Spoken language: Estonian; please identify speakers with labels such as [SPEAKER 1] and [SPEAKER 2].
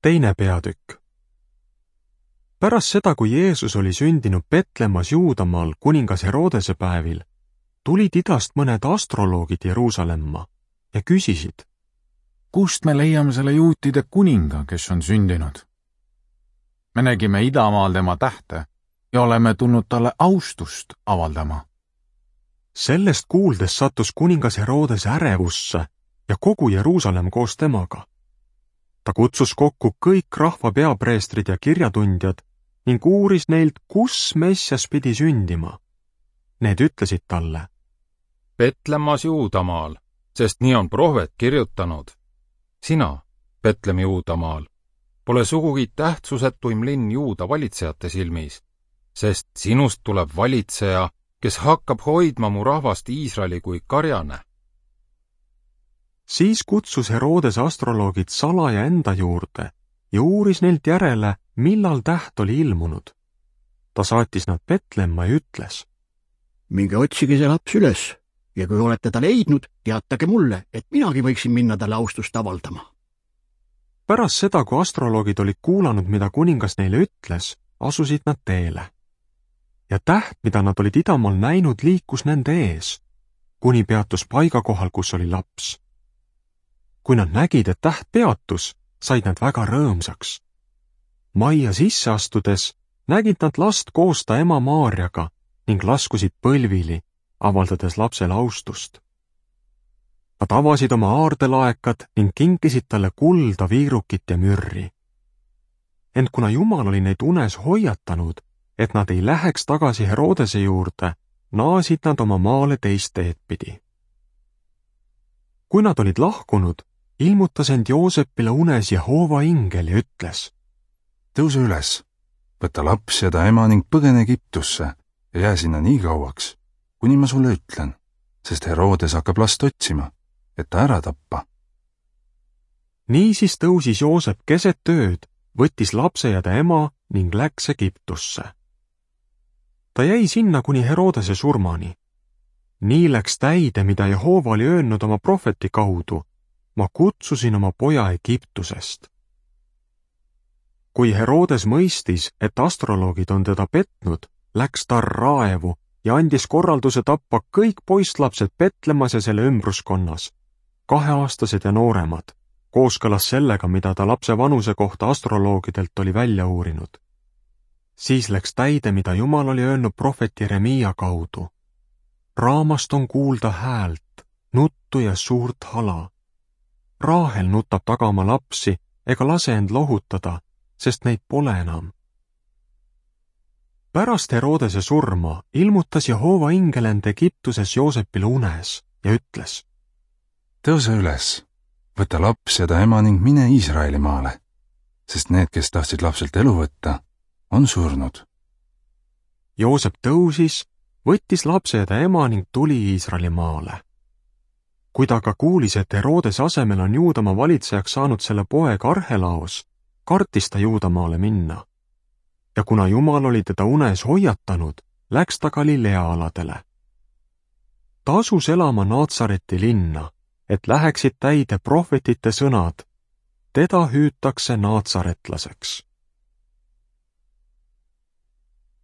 [SPEAKER 1] Teine peatükk. Pärast seda, kui Jeesus oli sündinud Petlemmas Juudamaal kuningas Herodese päevil, tulid idast mõned astroloogid Jeruusalemma ja küsisid:
[SPEAKER 2] Kust me leiame selle juutide kuninga, kes on sündinud? Me nägime idamaal tema tähte ja oleme tulnud talle austust avaldama.
[SPEAKER 1] Sellest kuuldes sattus kuningas Herodes ärevusse ja kogu Jeruusalemm koos temaga. Ta kutsus kokku kõik rahva peapreestrid ja kirjatundjad ning uuris neilt, kus Messias pidi sündima. Need ütlesid talle:
[SPEAKER 3] Petlemmas Juudamaal, sest nii on prohvet kirjutanud. Sina, Petlem Juudamaal, pole sugugi tähtsusetuim linn Juuda valitsejate silmis, sest sinust tuleb valitseja, kes hakkab hoidma mu rahvast Iisraeli kui karjane.
[SPEAKER 1] Siis kutsus Herodes astroloogid salaja enda juurde ja uuris neilt järele, millal täht oli ilmunud. Ta saatis nad Petlemma ja ütles:
[SPEAKER 4] Minge otsige see laps üles ja kui olete ta leidnud, teatage mulle, et minagi võiksin minna talle austust avaldama.
[SPEAKER 1] Pärast seda, kui astroloogid olid kuulanud, mida kuningas neile ütles, asusid nad teele. Ja täht, mida nad olid idamaal näinud, liikus nende ees, kuni peatus paigakohal, kus oli laps. Kui nad nägid, et täht peatus, said nad väga rõõmsaks. Majja sisse astudes nägid nad last koos ta ema Maarjaga ning laskusid põlvili, avaldades lapsele austust. Nad avasid oma aardelaekad ning kinkisid talle kulda, viirukit ja mürri. Ent kuna Jumal oli neid unes hoiatanud, et nad ei läheks tagasi Herodese juurde, naasid nad oma maale teist teed pidi. Kui nad olid lahkunud, ilmutas end Joosepile unes Jehova ingel ja ütles:
[SPEAKER 5] Tõuse üles, võta laps ja ta ema ning põgene Egiptusse ja jää sinna nii kauaks, kuni ma sulle ütlen, sest Herodes hakkab last otsima, et ta ära tappa.
[SPEAKER 1] Niisiis tõusis Joosep keset ööd, võttis lapse ja ta ema ning läks Egiptusse. Ta jäi sinna kuni Herodese surmani. Nii läks täide, mida Jehova oli öelnud oma prohveti kaudu: ma kutsusin oma poja Egiptusest. Kui Herodes mõistis, et astroloogid on teda petnud, läks ta raevu ja andis korralduse tappa kõik poisslapsed Petlemmas ja selle ümbruskonnas, 2-aastased ja nooremad, kooskõlas sellega, mida ta lapse vanuse kohta astroloogidelt oli välja uurinud. Siis läks täide, mida Jumal oli öelnud prohvet Jeremiia kaudu: raamast on kuulda häält, nuttu ja suurt hala. Raahel nutab taga oma lapsi ega lase end lohutada, sest neid pole enam. Pärast Herodese surma ilmutas Jehova ingel end Egiptuses Joosepile unes ja ütles:
[SPEAKER 5] Tõuse üles, võta laps ja ta ema ning mine Iisraeli maale, sest need, kes tahtsid lapselt elu võtta, on surnud.
[SPEAKER 1] Joosep tõusis, võttis lapse ja ta ema ning tuli Iisraeli maale. Kui ta aga kuulis, et Herodese asemel on Juudamaa valitsejaks saanud selle poeg Arhelaos, kartis ta Juudamaale minna. Ja kuna Jumal oli teda unes hoiatanud, läks ta Galilea aladele. Ta asus elama Naatsareti linna, et läheksid täide prohvetite sõnad: teda hüütakse naatsaretlaseks.